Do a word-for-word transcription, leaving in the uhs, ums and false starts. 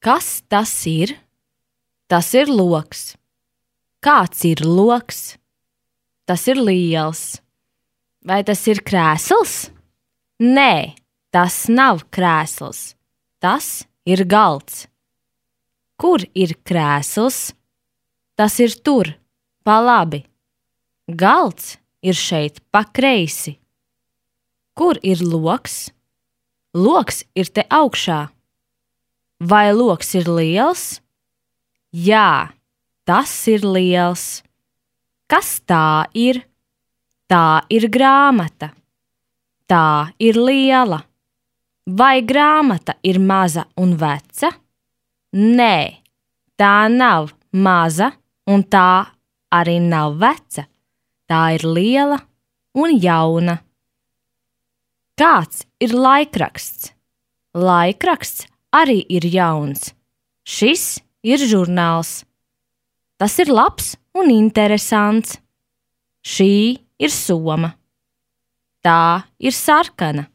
Kas tas ir? Tas ir loks. Kāds ir loks? Tas ir liels. Vai tas ir krēsls? Nē, tas nav krēsls. Tas ir galds. Kur ir krēsls? Tas ir tur, pa labi. Galds ir šeit pa kreisi. Kur ir loks? Loks ir te augšā. Vai loks ir liels? Jā, tas ir liels. Kas tā ir? Tā ir grāmata. Tā ir liela. Vai grāmata ir maza un veca? Nē, tā nav maza un tā arī nav veca. Tā ir liela un jauna. Kāds ir laikraksts? Laikraksts arī ir jauns. Šis ir žurnāls. Tas ir labs un interesants. Šī ir soma. Tā ir sarkana.